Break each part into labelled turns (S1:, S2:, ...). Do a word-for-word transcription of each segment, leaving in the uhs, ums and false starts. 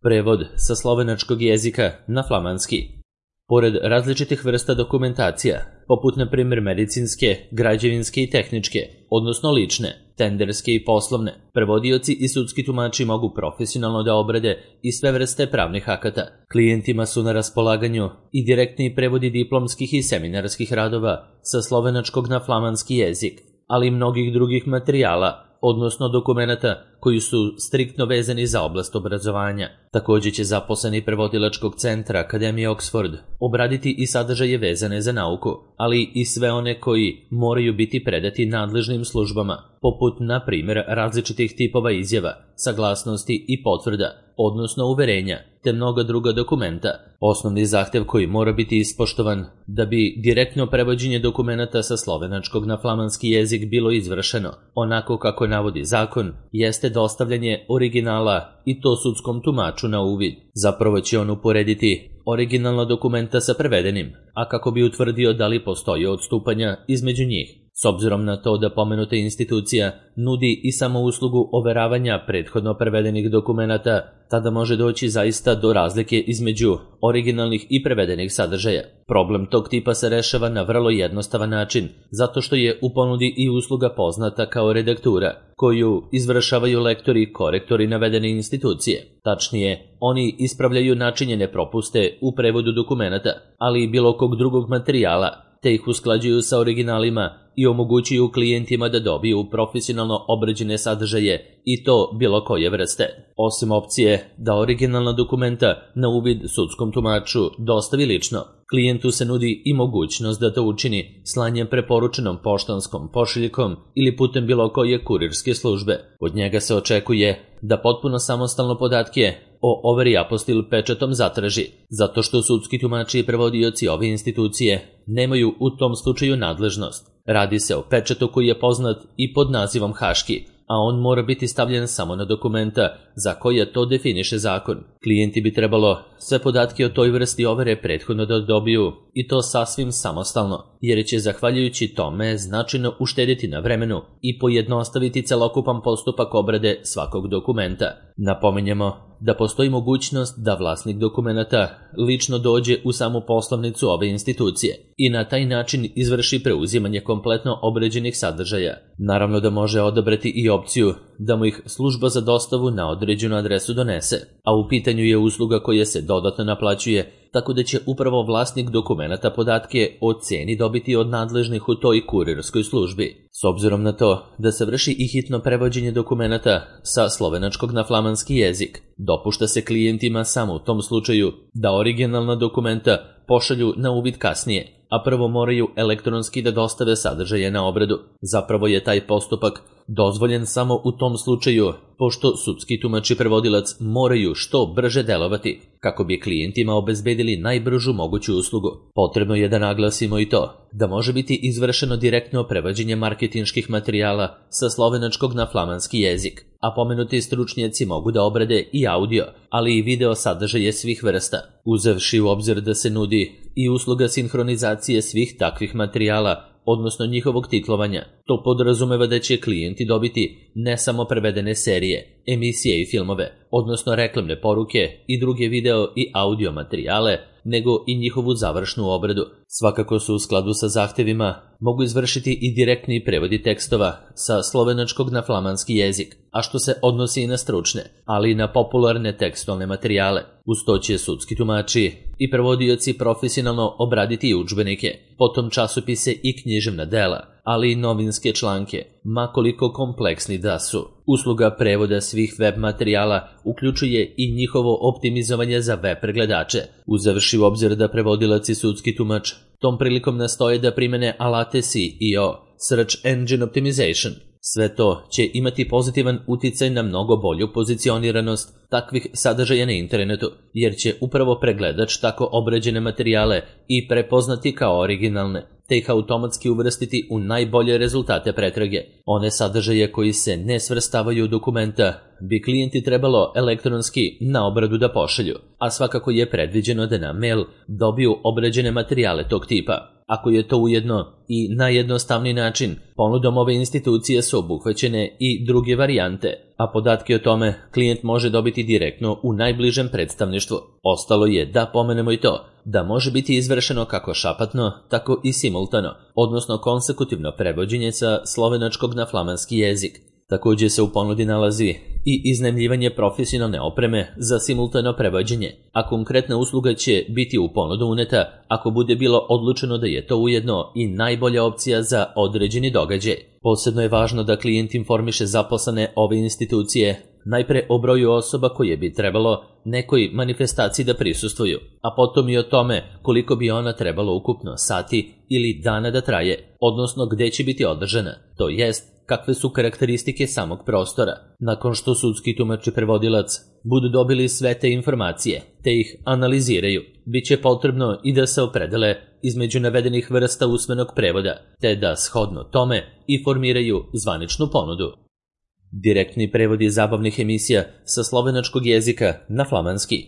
S1: Prevod sa slovenačkog jezika na flamanski. Pored različitih vrsta dokumentacija, poput na primjer medicinske, građevinske i tehničke, odnosno lične, tenderske i poslovne, prevodioci i sudski tumači mogu profesionalno da obrade i sve vrste pravnih akata. Klijentima su na raspolaganju i direktni prevodi diplomskih i seminarskih radova sa slovenačkog na flamanski jezik, ali i mnogih drugih materijala, odnosno dokumenata koji su striktno vezani za oblast obrazovanja. Također će zaposleni prevodilačkog centra Akademije Oxford obraditi i sadržaje vezane za nauku, ali i sve one koji moraju biti predati nadležnim službama, poput, na primjer, različitih tipova izjava, saglasnosti i potvrda, odnosno uverenja, te mnoga druga dokumenta. Osnovni zahtev koji mora biti ispoštovan da bi direktno prevođenje dokumenata sa slovenačkog na flamanski jezik bilo izvršeno, onako kako navodi zakon, jeste dostavljanje originala i to sudskom tumaču na uvid. Zapravo će on uporediti originalna dokumenta sa prevedenim, a kako bi utvrdio da li postoji odstupanja između njih. S obzirom na to da pomenuta institucija nudi i samo uslugu overavanja prethodno prevedenih dokumenata, tada može doći zaista do razlike između originalnih i prevedenih sadržaja. Problem tog tipa se rešava na vrlo jednostavan način, zato što je u ponudi i usluga poznata kao redaktura, koju izvršavaju lektori i korektori navedene institucije. Tačnije, oni ispravljaju načinjene propuste u prevodu dokumenata, ali i bilo kog drugog materijala, te ih usklađuju sa originalima i omogućuju klijentima da dobiju profesionalno obrađene sadržaje i to bilo koje vrste. Osim opcije da originalna dokumenta na uvid sudskom tumaču dostavi lično, klijentu se nudi i mogućnost da to učini slanjem preporučenom poštanskom pošiljkom ili putem bilo koje kurirske službe. Od njega se očekuje da potpuno samostalno podatke o overi apostil pečatom zatraži, zato što sudski tumači i prevodioci ove institucije nemaju u tom slučaju nadležnost. Radi se o pečatu koji je poznat i pod nazivom haški, a on mora biti stavljen samo na dokumenta za koje to definiše zakon. Klijenti bi trebalo sve podatke o toj vrsti overe prethodno da dobiju i to sasvim samostalno, jer će zahvaljujući tome značajno uštediti na vremenu i pojednostaviti celokupan postupak obrade svakog dokumenta. Napominjemo da postoji mogućnost da vlasnik dokumenata lično dođe u samu poslovnicu ove institucije i na taj način izvrši preuzimanje kompletno obrađenih sadržaja. Naravno da može odabrati i opciju da mu ih služba za dostavu na određenu adresu donese, a u pitanju je usluga koja se dodatno naplaćuje, tako da će upravo vlasnik dokumenata podatke o ceni dobiti od nadležnih u toj kurirskoj službi. S obzirom na to da se vrši i hitno prevođenje dokumenata sa slovenačkog na flamanski jezik, dopušta se klijentima samo u tom slučaju da originalna dokumenta pošalju na uvid kasnije, a prvo moraju elektronski da dostave sadržaje na obradu. Zapravo je taj postupak dozvoljen samo u tom slučaju, pošto sudski tumač i prevodilac moraju što brže delovati, kako bi klijentima obezbedili najbržu moguću uslugu. Potrebno je da naglasimo i to da može biti izvršeno direktno prevođenje marketinških materijala sa slovenačkog na flamanski jezik, a pomenuti stručnjaci mogu da obrade i audio, ali i video sadržaje svih vrsta. Uzevši u obzir da se nudi i usluga sinhronizacije svih takvih materijala, odnosno njihovog titlovanja, to podrazumeva da će klijenti dobiti ne samo prevedene serije, emisije i filmove, odnosno reklamne poruke i druge video i audio materijale, nego i njihovu završnu obradu. Svakako su u skladu sa zahtevima mogu izvršiti i direktni prevodi tekstova sa slovenačkog na flamanski jezik, a što se odnosi i na stručne, ali i na popularne tekstualne materijale. Uz to će sudski tumači i prevodioci profesionalno obraditi i udžbenike, potom časopise i književna dela, ali i novinske članke, makoliko kompleksni da su. Usluga prevoda svih web materijala uključuje i njihovo optimizovanje za web pregledače, uzevši u obzir da prevodilac i sudski tumač tom prilikom nastoje da primene alate S E O, Search Engine Optimization. Sve to će imati pozitivan uticaj na mnogo bolju pozicioniranost takvih sadržaja na internetu, jer će upravo pregledač tako obrađene materijale i prepoznati kao originalne, te ih automatski uvrstiti u najbolje rezultate pretrage. One sadržaje koji se ne svrstavaju u dokumenta bi klijenti trebalo elektronski na obradu da pošalju, a svakako je predviđeno da na mail dobiju obrađene materijale tog tipa. ako je to ujedno i najjednostavniji način. Ponudom ove institucije su obuhvaćene i druge varijante, a podatke o tome klijent može dobiti direktno u najbližem predstavništvu. Ostalo je da pomenemo i to da može biti izvršeno kako šapatno, tako i simultano, odnosno konsekutivno prevođenje sa slovenačkog na flamanski jezik. Također se u ponudi nalazi i iznajmljivanje profesionalne opreme za simultano prevođenje, a konkretna usluga će biti u ponudu uneta ako bude bilo odlučeno da je to ujedno i najbolja opcija za određeni događaj. Posebno je važno da klijent informiše zaposlene ove institucije najpre o broju osoba koje bi trebalo nekoj manifestaciji da prisustvuju, a potom i o tome koliko bi ona trebalo ukupno sati ili dana da traje, odnosno gde će biti održana, to jest kakve su karakteristike samog prostora. Nakon što sudski tumač i prevodilac budu dobili sve te informacije, te ih analiziraju, bit će potrebno i da se opredele između navedenih vrsta usmenog prevoda, te da shodno tome i formiraju zvaničnu ponudu. Direktni prevodi zabavnih emisija sa slovenačkog jezika na flamanski.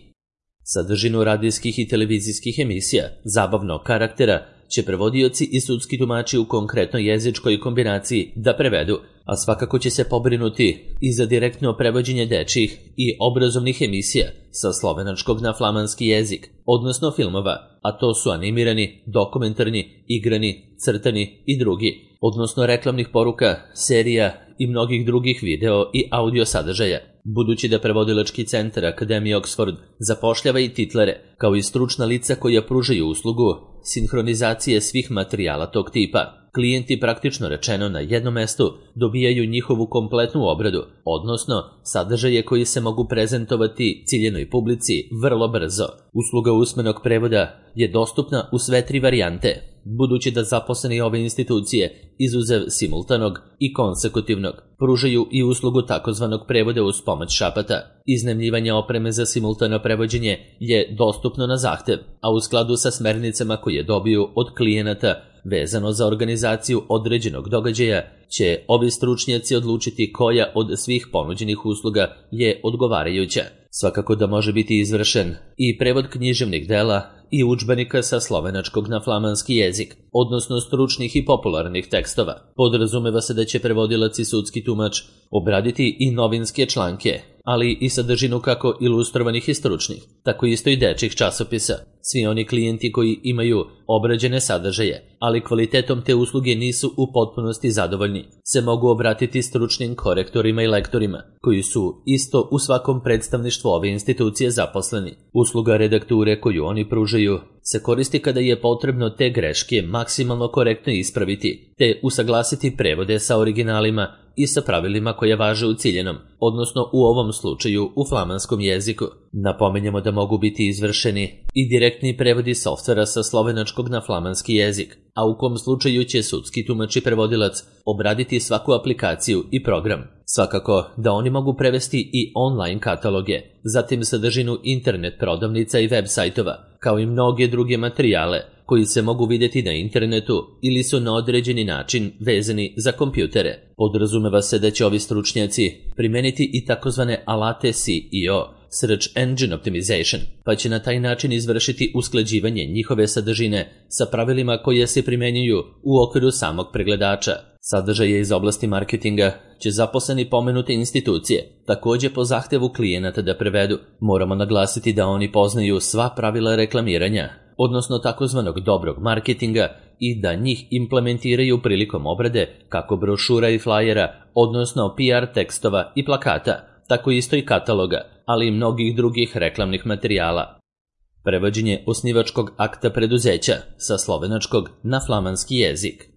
S1: Sadržinu radijskih i televizijskih emisija zabavnog karaktera će prevodioci i sudski tumači u konkretnoj jezičkoj kombinaciji da prevedu, a svakako će se pobrinuti i za direktno prevođenje dečjih i obrazovnih emisija sa slovenačkog na flamanski jezik, odnosno filmova, a to su animirani, dokumentarni, igrani, crtani i drugi, odnosno reklamnih poruka, serija i mnogih drugih video i audio sadržaja. Budući da prevodilački centar Akademije Oxford zapošljava i titlere, kao i stručna lica koja pružaju uslugu sinhronizacije svih materijala tog tipa, klijenti praktično rečeno na jednom mestu dobijaju njihovu kompletnu obradu, odnosno sadržaje koji se mogu prezentovati ciljenoj publici vrlo brzo. Usluga usmenog prevoda je dostupna u sve tri varijante, budući da zaposleni ove institucije, izuzev simultanog i konsekutivnog, pružaju i uslugu takozvanog prevoda uz pomoć šapata. Iznajmljivanje opreme za simultano prevođenje je dostupno na zahtev, a u skladu sa smernicama koje dobiju od klijenata vezano za organizaciju određenog događaja, će ovi stručnjaci odlučiti koja od svih ponuđenih usluga je odgovarajuća. Svakako da može biti izvršen i prevod književnih dela i udžbenika sa slovenačkog na flamanski jezik, odnosno stručnih i popularnih tekstova. Podrazumeva se da će prevodilac i sudski tumač obraditi i novinske članke, ali i sadržinu kako ilustrovanih i stručnih, tako isto i dečjih časopisa. Svi oni klijenti koji imaju obrađene sadržaje, ali kvalitetom te usluge nisu u potpunosti zadovoljni, se mogu obratiti stručnim korektorima i lektorima, koji su isto u svakom predstavništvu ove institucije zaposleni. Usluga redakture koju oni pružaju se koristi kada je potrebno te greške maksimalno korektno ispraviti, te usaglasiti prevode sa originalima i sa pravilima koja važe u ciljenom, odnosno u ovom slučaju u flamanskom jeziku. Napominjemo da mogu biti izvršeni i direktni prevodi softvera sa slovenačkog na flamanski jezik, a u kom slučaju će sudski tumač i prevodilac obraditi svaku aplikaciju i program. Svakako da oni mogu prevesti i online kataloge, zatim sadržinu internet prodavnica i web sajtova, kao i mnoge druge materijale koji se mogu vidjeti na internetu ili su na određeni način vezani za kompjutere. Podrazumeva se da će ovi stručnjaci primeniti i takozvane alate S E O, Search Engine Optimization, pa će na taj način izvršiti usklađivanje njihove sadržine sa pravilima koje se primenjuju u okviru samog pregledača. Sadržaje iz oblasti marketinga će zaposleni pomenute institucije također po zahtevu klijenata da prevedu. Moramo naglasiti da oni poznaju sva pravila reklamiranja, odnosno takozvanog dobrog marketinga, i da njih implementiraju prilikom obrade kako brošura i flajera, odnosno P R tekstova i plakata, tako isto i kataloga, ali i mnogih drugih reklamnih materijala. Prevođenje osnivačkog akta preduzeća sa slovenačkog na flamanski jezik.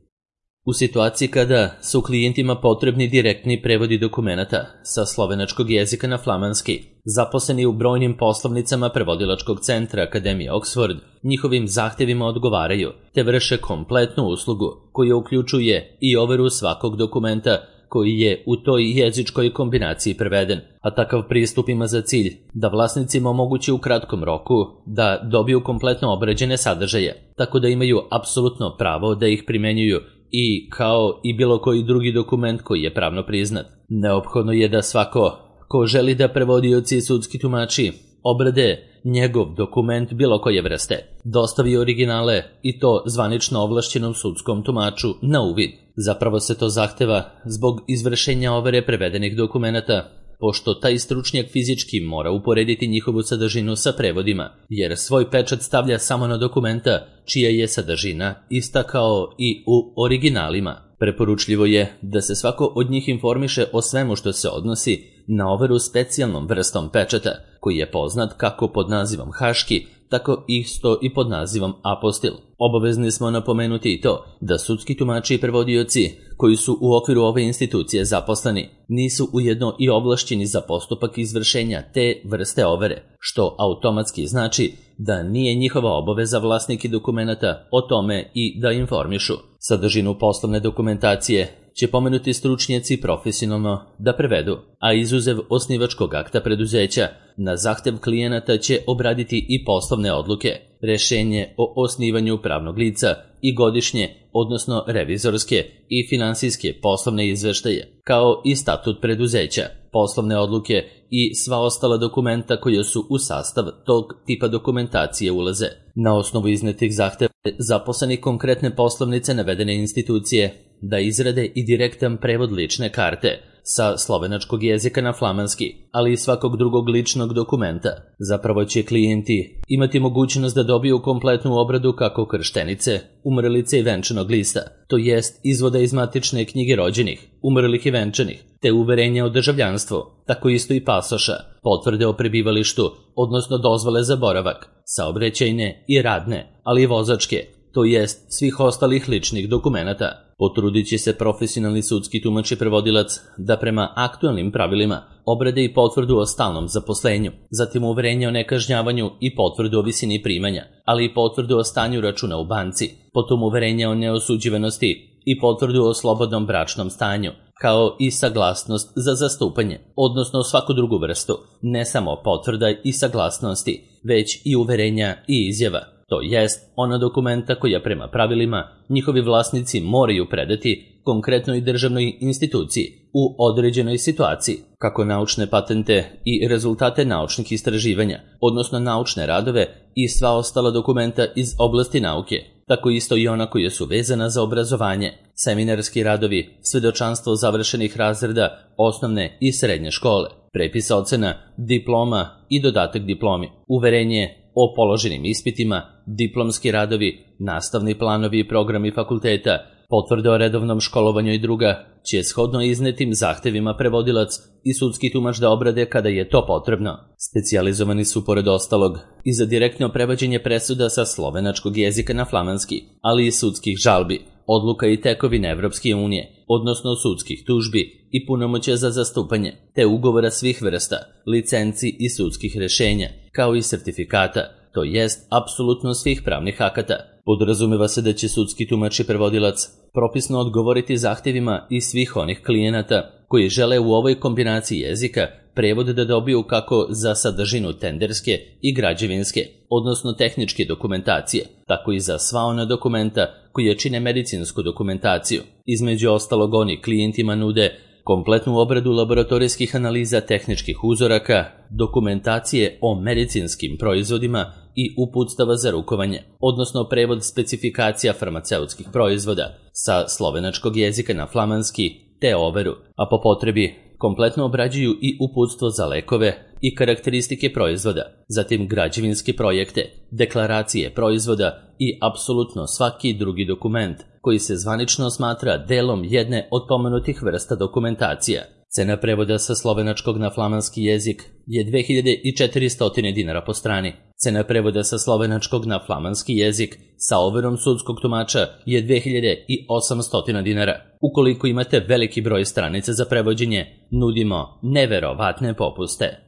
S1: U situaciji kada su klijentima potrebni direktni prevodi dokumenata sa slovenačkog jezika na flamanski, zaposleni u brojnim poslovnicama prevodilačkog centra Akademije Oxford njihovim zahtevima odgovaraju, te vrše kompletnu uslugu koja uključuje i overu svakog dokumenta koji je u toj jezičkoj kombinaciji preveden, a takav pristup ima za cilj da vlasnicima omogući u kratkom roku da dobiju kompletno obrađene sadržaje, tako da imaju apsolutno pravo da ih primenjuju i kao i bilo koji drugi dokument koji je pravno priznat. Neophodno je da svako ko želi da prevodioci i sudski tumači obrade njegov dokument bilo koje vrste, dostavi originale i to zvanično ovlašćenom sudskom tumaču na uvid. Zapravo se to zahteva zbog izvršenja overe prevedenih dokumenata, pošto taj stručnjak fizički mora uporediti njihovu sadržinu sa prevodima, jer svoj pečat stavlja samo na dokumenta čija je sadržina ista kao i u originalima. Preporučljivo je da se svako od njih informiše o svemu što se odnosi na overu specijalnom vrstom pečata, koji je poznat kako pod nazivom haški, tako isto i pod nazivom apostil. Obavezni smo napomenuti i to da sudski tumači i prevodioci koji su u okviru ove institucije zaposleni nisu ujedno i ovlašćeni za postupak izvršenja te vrste overe, što automatski znači da nije njihova obaveza vlasniki dokumenata o tome i da informišu. Sadržinu poslovne dokumentacije će pomenuti stručnjaci profesionalno da prevedu, a izuzev osnivačkog akta preduzeća, na zahtev klijenata će obraditi i poslovne odluke, rešenje o osnivanju pravnog lica i godišnje, odnosno revizorske i finansijske poslovne izveštaje, kao i statut preduzeća, poslovne odluke i sva ostala dokumenta koja su u sastav tog tipa dokumentacije ulaze. Na osnovu iznetih zahteva zaposleni konkretne poslovnice navedene institucije da izrade i direktan prevod lične karte sa slovenačkog jezika na flamanski, ali i svakog drugog ličnog dokumenta. Zapravo će klijenti imati mogućnost da dobiju kompletnu obradu kako krštenice, umrlice i venčanog lista, to jest izvoda iz matične knjige rođenih, umrlih i venčanih, te uverenja o državljanstvu, tako isto i pasoša, potvrde o prebivalištu, odnosno dozvole za boravak, saobraćajne i radne, ali i vozačke, to jest svih ostalih ličnih dokumenata. Potrudit će se profesionalni sudski tumač i prevodilac da prema aktualnim pravilima obrade i potvrdu o stalnom zaposlenju, zatim uverenje o nekažnjavanju i potvrdu o visini primanja, ali i potvrdu o stanju računa u banci, potom uverenje o neosuđivanosti i potvrdu o slobodnom bračnom stanju, kao i saglasnost za zastupanje, odnosno svaku drugu vrstu, ne samo potvrda i saglasnosti, već i uverenja i izjava. To jest ona dokumenta koja prema pravilima njihovi vlasnici moraju predati konkretnoj državnoj instituciji u određenoj situaciji, kako naučne patente i rezultate naučnih istraživanja, odnosno naučne radove i sva ostala dokumenta iz oblasti nauke, tako isto i ona koja su vezana za obrazovanje, seminarski radovi, svedočanstvo završenih razreda osnovne i srednje škole, prepis ocena, diploma i dodatak diplomi, uverenje o položenim ispitima, diplomski radovi, nastavni planovi i programi fakulteta, potvrde o redovnom školovanju i druga, će shodno iznetim zahtevima prevodilac i sudski tumač da obrade kada je to potrebno. Specijalizovani su pored ostalog i za direktno prevođenje presuda sa slovenačkog jezika na flamanski, ali i sudskih žalbi, odluka i tekovine Evropske unije, odnosno sudskih tužbi i punomoćja za zastupanje, te ugovora svih vrsta, licenci i sudskih rešenja, kao i sertifikata, to jest apsolutno svih pravnih akata. Podrazumeva se da će sudski tumač i prevodilac propisno odgovoriti zahtevima i svih onih klijenata koji žele u ovoj kombinaciji jezika prevod da dobiju kako za sadržinu tenderske i građevinske, odnosno tehničke dokumentacije, tako i za sva ona dokumenta koje čine medicinsku dokumentaciju. Između ostalog oni klijentima nude kompletnu obradu laboratorijskih analiza tehničkih uzoraka, dokumentacije o medicinskim proizvodima i uputstava za rukovanje, odnosno prevod specifikacija farmaceutskih proizvoda sa slovenačkog jezika na flamanski, te overu, a po potrebi kompletno obrađuju i uputstvo za lekove i karakteristike proizvoda, zatim građevinske projekte, deklaracije proizvoda i apsolutno svaki drugi dokument koji se zvanično smatra delom jedne od pomenutih vrsta dokumentacija. Cena prevoda sa slovenačkog na flamanski jezik je dve hiljade četiristo dinara po strani. Cena prevoda sa slovenačkog na flamanski jezik sa overom sudskog tumača je dve hiljade osamsto dinara. Ukoliko imate veliki broj stranica za prevođenje, nudimo neverovatne popuste.